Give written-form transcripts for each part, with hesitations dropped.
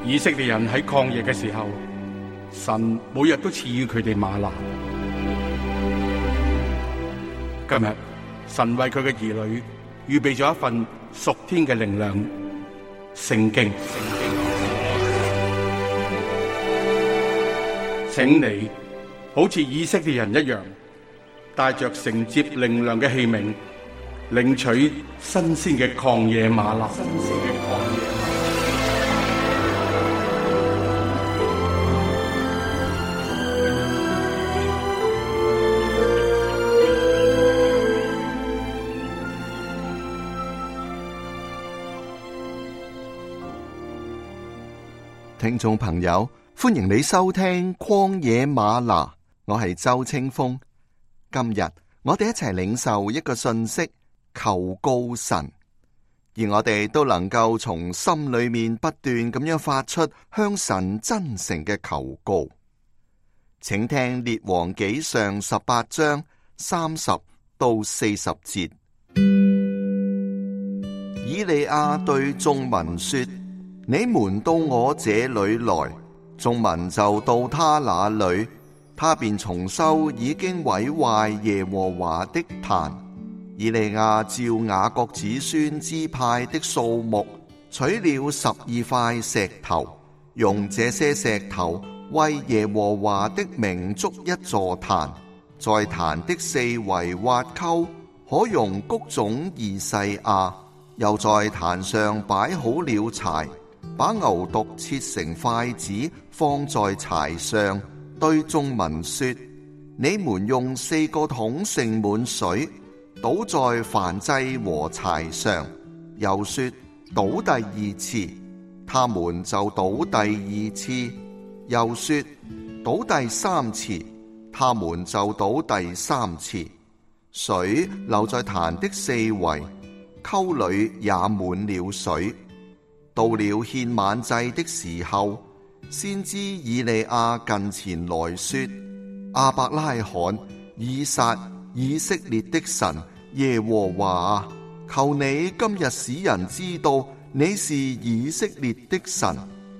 以色列人喺曠野嘅時候，神每日都賜予佢哋嗎哪。今日神為佢嘅兒女預備咗一份屬天嘅靈糧——聖經。請你好似以色列人一樣，帶着承接靈糧嘅器皿，領取新鮮嘅曠野嗎哪。聽眾朋友，歡迎你收聽曠野嗎哪，我係周清風。今日我哋一齊領受一個信息，求告神，而我哋都能夠從心裏面不斷咁樣發出向神真誠嘅求告。請聽列王紀上18章30到40節。以利亞對眾民說：你們到我這裏來，眾民就到他那裏，他便重修已經毀壞耶和華的壇。以利亞照雅各子孫支派的數目，取了12塊石頭，用這些石頭為耶和華的名築一座壇，在壇的四圍挖溝，可容穀種2細亞，又在壇上擺好了柴，把牛犢切成塊子，放在柴上，對眾民說：你們用4個桶盛滿水，倒在燔祭和柴上。又說：倒第2次，他們就倒第2次。又說：倒第3次，他們就倒第3次。水流在壇的四圍，溝裏也滿了水。到了獻晚祭的時候，先知以利亞近前來說：亞伯拉罕、以撒、以色列的神耶和華，求你今日使人知道你是以色列的神，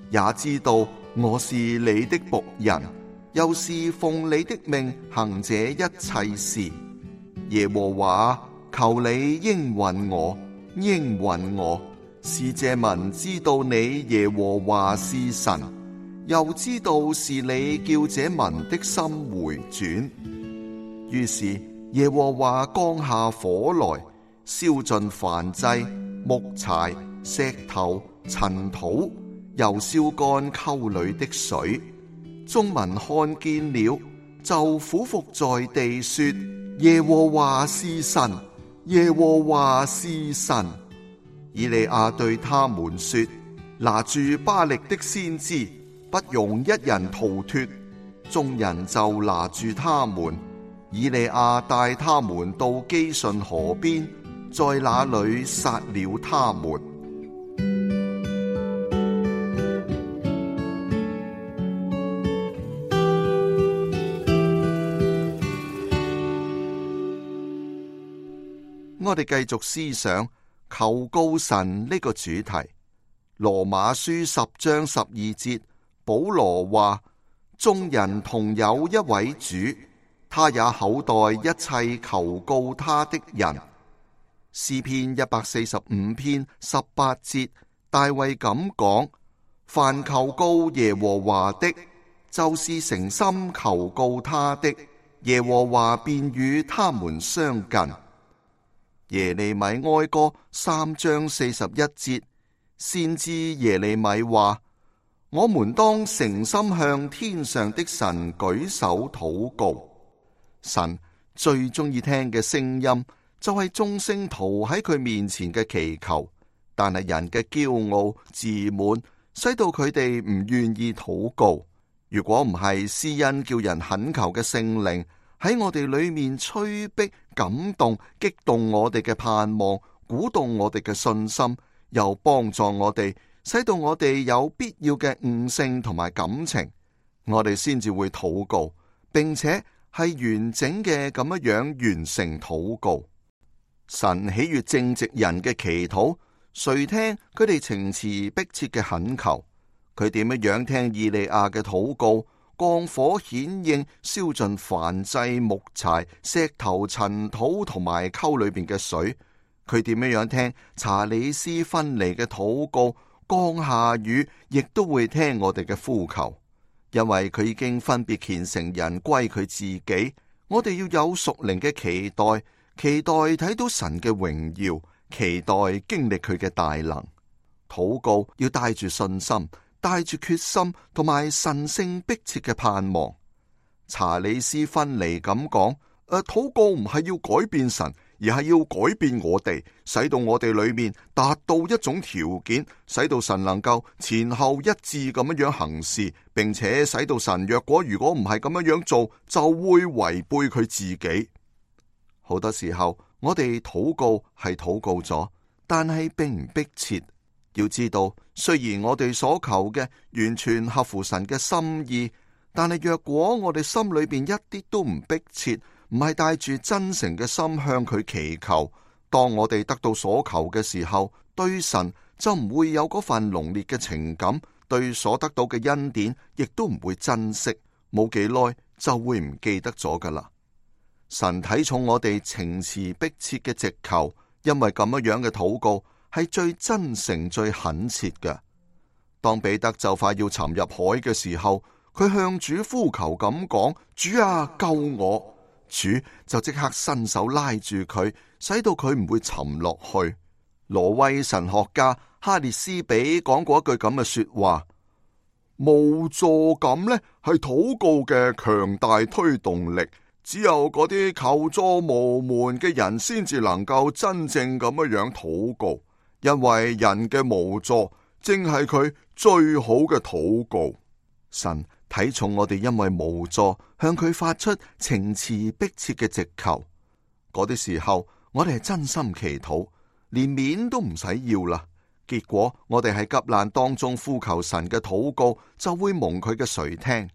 也知道我是你的僕人，又是奉你的命行這一切事。耶和華，求你應允我，應允我，使這民知道你耶和華是神，又知道是你叫這民的心回轉。於是耶和華降下火來，燒盡燔祭、木柴、石頭、塵土，又燒乾溝裏的水。眾民看見了，就俯伏在地說：耶和華是神，耶和華是神。以利亞對他們說：拿住巴力的先知，不容一人逃脫。眾人就拿住他們。以利亞帶他們到基順河邊，在那裏殺了他們。我哋繼續思想求告神呢個主題。羅馬書10章12節，保羅話：眾人同有一位主，他也厚待一切求告他的人。詩篇145篇18節，大衛咁講：凡求告耶和華的，就是誠心求告他的，耶和華便與他們相近。耶利米哀歌3章41節，先知耶利米話：我們當誠心向天上的神舉手禱告。神最中意聽嘅聲音就係眾聖徒喺佢面前嘅祈求，但係人嘅驕傲自滿，使到佢哋唔願意禱告。如果唔係施恩叫人懇求嘅聖靈喺我哋裏面催逼、感動、激動我哋嘅盼望，鼓動我哋嘅信心，又幫助我哋，使到我哋有必要嘅悟性同埋感情，我哋先至會禱告，並且係完整嘅咁樣完成禱告。神喜悅正直人嘅祈禱，垂聽佢哋情詞迫切嘅懇求。佢點樣聽以利亞嘅禱告，降火顯應，燒盡燔祭、木柴、石頭、塵土同埋溝裏邊嘅水。佢點樣聽查理斯芬尼嘅禱告，降下雨，亦都會聽我哋嘅呼求，因為佢已經分別虔誠人歸佢自己。我哋要有屬靈嘅期待，期待睇到神嘅榮耀，期待經歷佢嘅大能。禱告要帶住信心，帶住決心同埋神聖迫切嘅盼望。查理斯芬尼咁講，禱告唔係要改變神，而係要改變我哋，使到我哋裏面達到一種條件，使到神能夠前後一致咁樣行事，並且使到神如果唔係咁樣做，就會違背佢自己。好多時候我哋禱告係禱告咗，但係並唔迫切。要知道，雖然我哋所求嘅完全合乎神嘅心意，但係若果我哋心裏邊一啲都唔迫切，唔係帶住真誠嘅心向佢祈求，當我哋得到所求嘅時候，對神就唔會有嗰份濃烈嘅情感，對所得到嘅恩典亦都唔會珍惜，冇幾耐就會唔記得咗噶啦。神睇重我哋情詞迫切嘅直求，因為咁樣嘅禱告係最真誠、最懇切嘅。當彼得就快要沉入海嘅時候，佢向主呼求咁講：主啊，救我！主就即刻伸手拉住佢，使到佢唔會沉落去。挪威神學家哈列斯比講過一句咁嘅說話：無助感呢係禱告嘅強大推動力，只有嗰啲求助無門嘅人先至能夠真正咁樣禱告，因為人嘅無助正係佢最好嘅禱告。神睇重我哋因為無助向佢發出情詞迫切嘅直求，嗰啲時候我哋係真心祈禱，連面都唔使要啦。結果我哋喺急難當中呼求神嘅禱告，就會蒙佢嘅垂聽。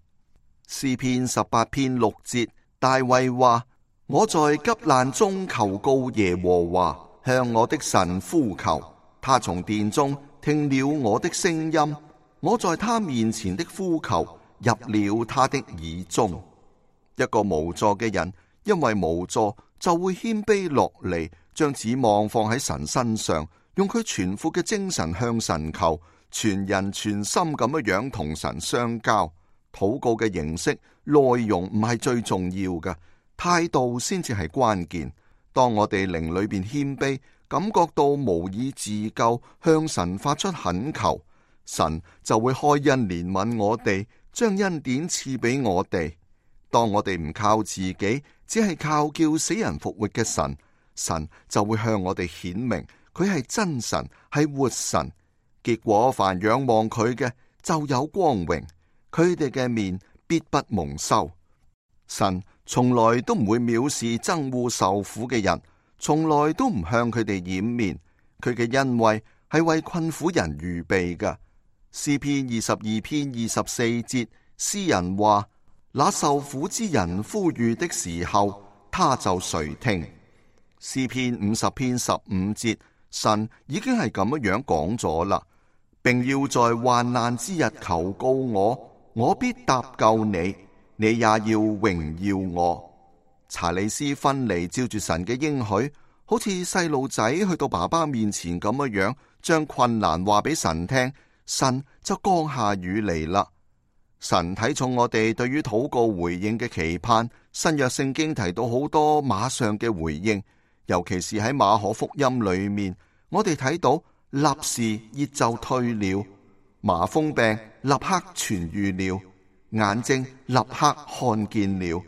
詩篇18篇6節，大衛話：我在急難中求告耶和華，向我的神呼求，他從殿中聽了我的聲音，我在他面前的呼求入了他的耳中。一個無助嘅人，因為無助就會謙卑落嚟，將指望放喺神身上，用佢全副嘅精神向神求，全人全心咁樣同神相交。禱告嘅形式、內容唔係最重要嘅，態度先至係關鍵。當我哋靈裏邊謙卑，感覺到無以自救，向神發出懇求，神就會開恩憐憫我哋，將恩典賜俾我哋。當我哋唔靠自己，只係靠叫死人復活嘅神，神就會向我哋顯明佢係真神，係活神。結果凡仰望佢嘅就有光榮，佢哋嘅面必不蒙羞。神從來都唔會藐視憎惡受苦嘅人，從來都唔向佢哋掩面。佢嘅恩惠係為困苦人預備嘅。詩篇22篇24節，詩人話：那受苦之人呼籲的時候，他就垂聽。詩篇50篇15節，神已經係咁樣講咗啦，並要在患難之日求告我，我必搭救你，你也要榮耀我。查理斯芬尼照住神嘅應許，好似細路仔去到爸爸面前咁樣，將困難話俾神聽，神就降下雨嚟啦。神睇重我哋對於禱告回應嘅期盼，新約聖經提到好多馬上嘅回應，尤其是喺馬可福音裏面，我哋睇到立時熱就退了，麻風病立刻痊癒了，眼睛立刻看見了。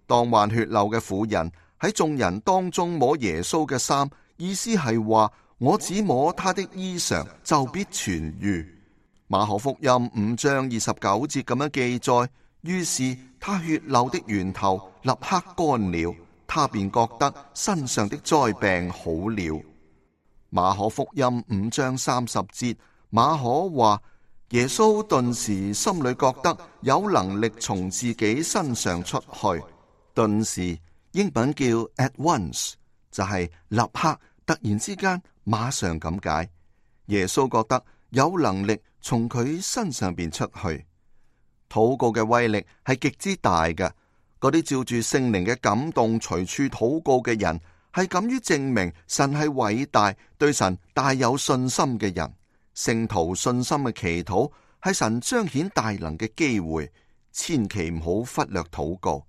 當患血漏嘅婦人喺眾人當中摸耶穌嘅衫，意思係話我只摸他的衣裳就必痊癒。馬可福音5章29節咁樣記載，於是他血漏的源頭立刻乾了，他便覺得身上的災病好了。馬可福音5章30節，馬可話耶穌頓時心裏覺得有能力從自己身上出去。頓時英文叫 at once， 就係立刻、突然之間、馬上咁解。耶穌覺得有能力從佢身上邊出去。禱告嘅威力係極之大嘅，嗰啲照住聖靈嘅感動隨處禱告嘅人，係敢於證明神係偉大，對神大有信心嘅人。聖徒信心嘅祈禱係神彰顯大能嘅機會，千祈唔好忽略禱告。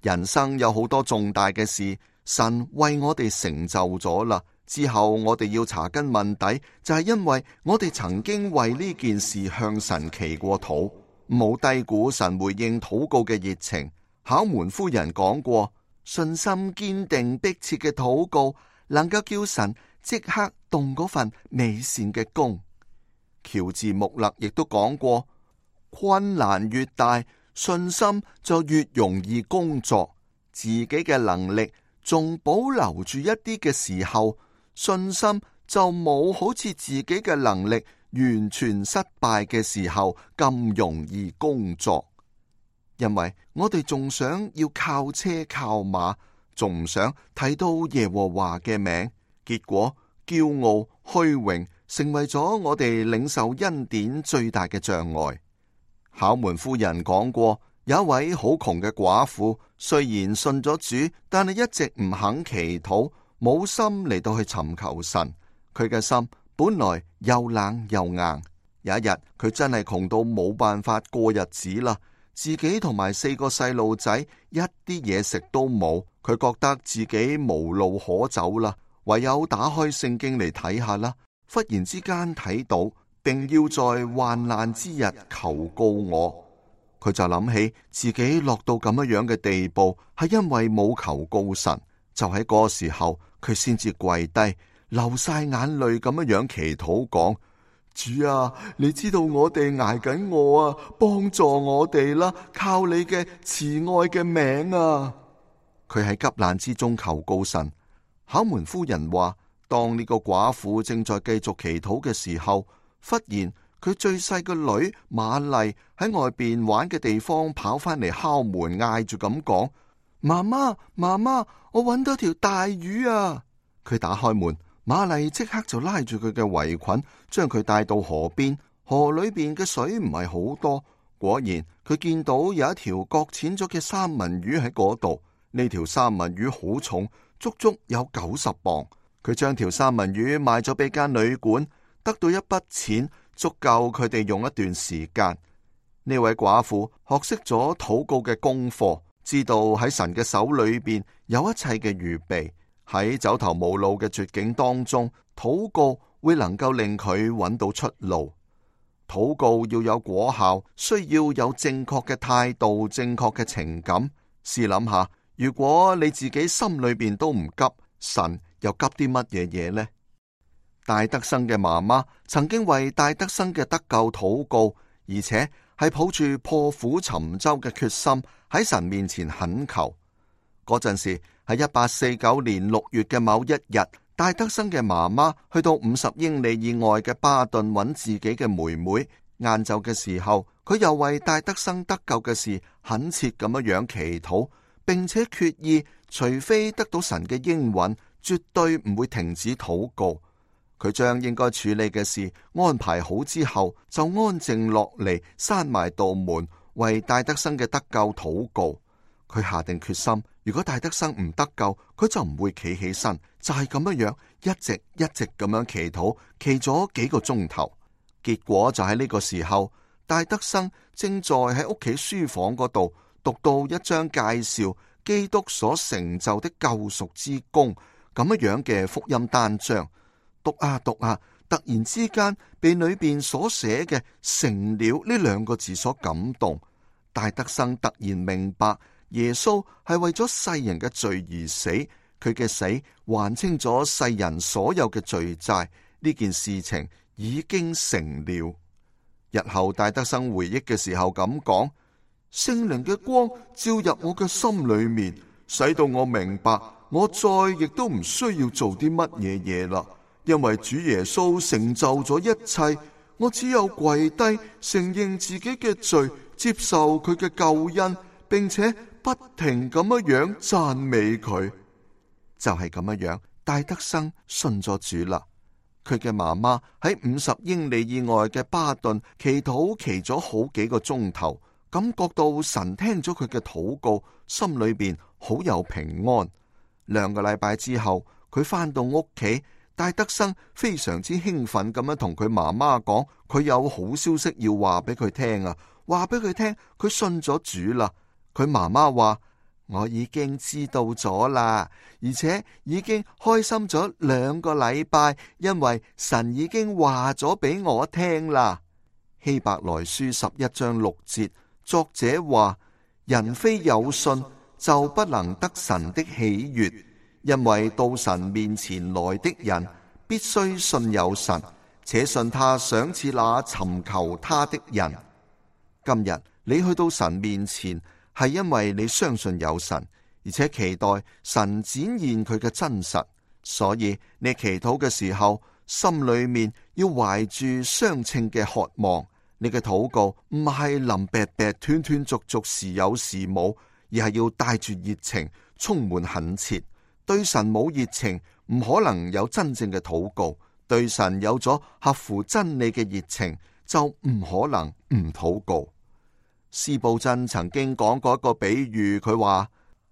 人生有好多重大嘅事，神為我哋成就咗啦。之後我哋要查根問底，就係因為我哋曾經為呢件事向神祈過禱。唔好低估神回應禱告嘅熱情。考門夫人講過，信心堅定迫切嘅禱告，能夠叫神即刻動嗰份美善嘅工。喬治穆勒亦都講過，困難越大，信心就越容易工作。自己嘅能力仲保留住一啲嘅時候，信心就冇好似自己嘅能力完全失敗嘅時候咁容易工作。因為我哋仲想要靠車靠馬，仲唔想睇到耶和華嘅名，結果驕傲虛榮成為咗我哋領受恩典最大嘅障礙。考門夫人講過，有一位好窮嘅寡婦，雖然信咗主，但係一直唔肯祈禱，冇心嚟到去尋求神。佢嘅心本來又冷又硬。有一日，佢真係窮到冇辦法過日子啦。自己同埋4個細路仔一啲嘢食都冇，佢覺得自己無路可走啦，唯有打開聖經嚟睇下啦。忽然之間睇到，並要在患難之日求告我，佢就諗起自己落到咁樣嘅地步，係因為冇求告神。就喺嗰個時候，佢先至跪低，流晒眼淚咁樣祈禱講：主啊，你知道我哋捱緊餓啊，幫助我哋啦，靠你嘅慈愛嘅名啊！佢喺急難之中求告神。考門夫人話，當呢個寡婦正在繼續祈禱嘅時候，忽然佢最細個女瑪麗喺外邊玩嘅地方跑翻嚟敲門，嗌住咁講：媽媽，媽媽，我搵到條大魚啊！佢打開門，瑪麗即刻就拉住佢嘅圍裙，將佢帶到河邊。河裏邊嘅水唔係好多，果然佢見到有一條擱淺咗嘅三文魚喺嗰度。呢條三文魚好重，足足有90磅。佢將條三文魚賣咗俾間旅館，得到一筆錢，足夠佢哋用一段時間。呢位寡婦學識咗禱告嘅功課，知道喺神嘅手裏邊有一切嘅預備。喺走投無路嘅絕境當中，禱告會能夠令佢揾到出路。禱告要有果效，需要有正確嘅態度、正確嘅情感。試諗下，如果你自己心裏邊都唔急，神又急啲乜嘢嘢呢？戴德生嘅媽媽曾經為戴德生嘅得救禱告，而且係抱住破釜沉舟嘅決心喺神面前懇求。嗰陣時喺1849年6月嘅某一日，戴德生嘅媽媽去到50英里以外嘅巴頓揾自己嘅妹妹。晏晝嘅時候，佢又為戴德生得救嘅事懇切咁樣祈禱，並且決意，除非得到神嘅應允，絕對唔會停止禱告。佢將應該處理嘅事安排好之後，就安靜落嚟，閂埋道門，為戴德生嘅得救禱告。佢下定決心，如果戴德生唔得救，佢就唔會企起身。就係咁樣一直咁樣祈禱，祈咗幾個鐘頭。結果就喺呢個時候，戴德生正在喺屋企書房嗰度讀到一章介紹基督所成就的救贖之功咁樣嘅福音單章。讀啊讀啊，突然之間被裏邊所寫嘅成了呢2個字所感動。戴德生突然明白，耶穌係為咗世人嘅罪而死，佢嘅死還清咗世人所有嘅罪債。呢件事情已經成了。日後戴德生回憶嘅時候咁講：聖靈嘅光照入我嘅心裏面，使到我明白，我再亦都唔需要做啲乜嘢嘢啦。因為主耶穌成就咗一切，我只有跪低承認自己嘅罪，接受佢嘅救恩，並且不停咁樣讚美佢。就係咁樣，戴德生信咗主啦。佢嘅媽媽喺50英里以外嘅巴頓祈禱祈咗好幾個鐘頭，感覺到神聽咗佢嘅禱告，心裏邊好有平安。2個禮拜之後，佢返到屋企，戴德生非常之興奮咁樣同佢媽媽講，佢有好消息要話俾佢聽啊！話俾佢聽，佢信咗主啦。佢媽媽話：我已經知道咗啦，而且已經開心咗2個禮拜，因為神已經話咗俾我聽啦。希伯來書11章6節，作者話：人非有信就不能得神的喜悅，因為到神面前來的人必須信有神，且信他賞賜那尋求他的人。今日你去到神面前，係因為你相信有神，而且期待神展現佢嘅真實，所以你祈禱嘅時候，心裏面要懷住相稱嘅渴望。你嘅禱告唔係臨別別斷斷續續時有時冇，而係要帶住熱情，充滿懇切。對神冇熱情，唔可能有真正嘅禱告；對神有咗合乎真理嘅熱情，就唔可能唔禱告。司布真曾經講過一個比喻，佢話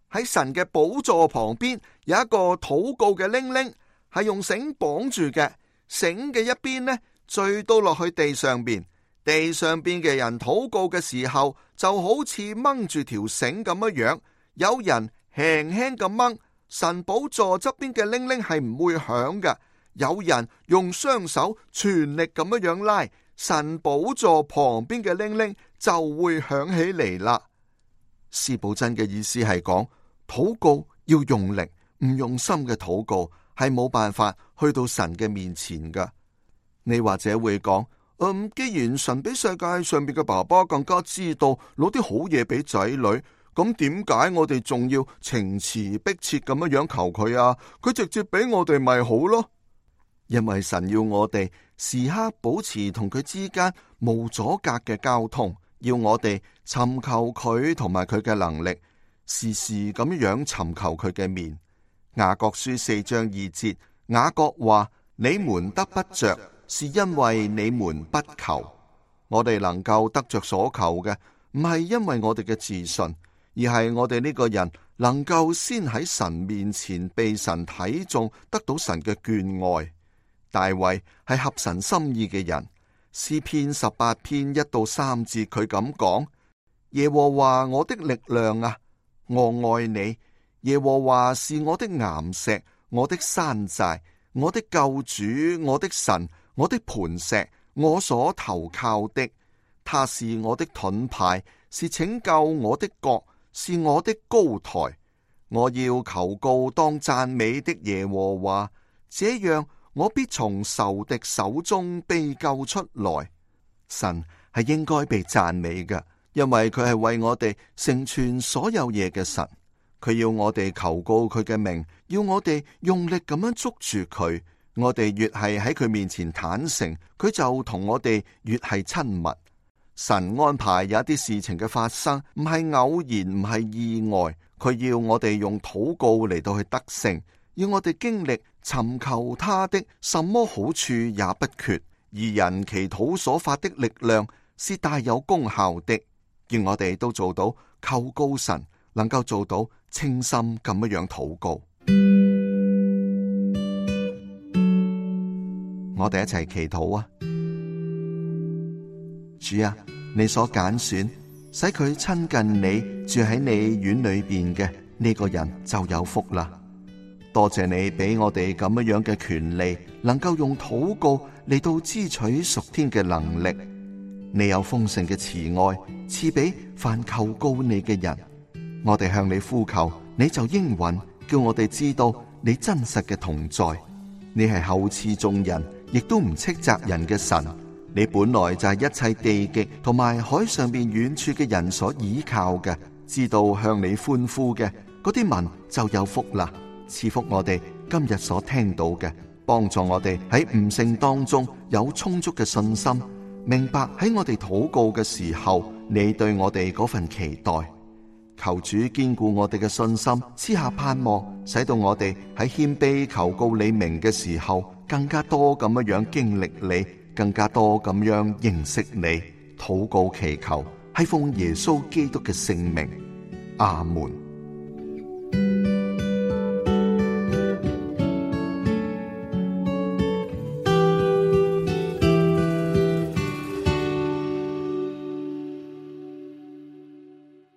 喺神嘅寶座旁邊有一個禱告嘅鈴鈴，係用繩綁住嘅，繩嘅一邊呢墜到落去地上邊，地上邊嘅人禱告嘅時候就好似掹住條繩咁樣樣，有人輕輕咁掹，神寶座側邊嘅鈴鈴係唔會響嘅；有人用雙手全力咁樣樣拉，神寶座旁邊嘅鈴鈴就會響起嚟啦。司布真嘅意思係講，禱告要用力，唔用心嘅禱告係冇辦法去到神嘅面前噶。你或者會講，既然神比世界上邊嘅爸爸更加知道攞啲好嘢俾仔女，咁點解我哋仲要情詞迫切咁樣求佢啊？佢直接俾我哋咪好咯。因為神要我哋時刻保持同佢之間無阻隔嘅交通，要我哋尋求佢同埋佢嘅能力，時時咁樣尋求佢嘅面。雅各書4章2節，雅各話：你們得不着，是因為你們不求。我哋能夠得着所求嘅，唔係因為我哋嘅自信，而係我哋呢個人能夠先喺神面前被神睇中，得到神嘅眷愛。大衛係合神心意嘅人，詩篇18篇1到3節佢咁講：耶和華我的力量啊，我愛你。耶和華是我的岩石，我的山寨，我的救主，我的神，我的磐石，我所投靠的。他是我的盾牌，是拯救我的角，是我的高台。我要求告當讚美的耶和華，這樣我必從仇敵手中被救出來。神係應該被讚美嘅，因為佢係為我哋成全所有嘢嘅神。佢要我哋求告佢嘅名，要我哋用力咁樣捉住佢。我哋越係喺佢面前坦誠，佢就同我哋越係親密。神安排有一啲事情嘅發生，唔係偶然，唔係意外。佢要我哋用禱告嚟到去得勝，要我哋經歷尋求他的，什麼好處也不缺。義人祈禱所發的力量是大有功效的。願我哋都做到求告神，能夠做到清心咁樣禱告。我哋一齊祈禱啊！主啊，你所揀選，使佢親近你，住喺你院裏邊嘅呢個人就有福啦。多謝你俾我哋咁樣嘅權利，能夠用禱告嚟到支取屬天嘅能力。你有豐盛嘅慈愛，賜俾凡求告你嘅人。我哋向你呼求，你就應允，叫我哋知道你真實嘅同在。你係厚賜眾人，亦都唔斥責人嘅神。你本來就係一切地極同埋海上邊遠處嘅人所倚靠嘅，知道向你歡呼嘅嗰啲民就有福啦。賜福我哋今日所聽到嘅，幫助我哋喺悟性當中有充足嘅信心，明白喺我哋禱告嘅時候，你對我哋嗰份期待。求主堅固我哋嘅信心，賜下盼望，使到我哋喺謙卑求告你名嘅時候，更加多咁樣經歷你，更加多咁樣認識你。禱告祈求係奉耶穌基督嘅聖名，阿門。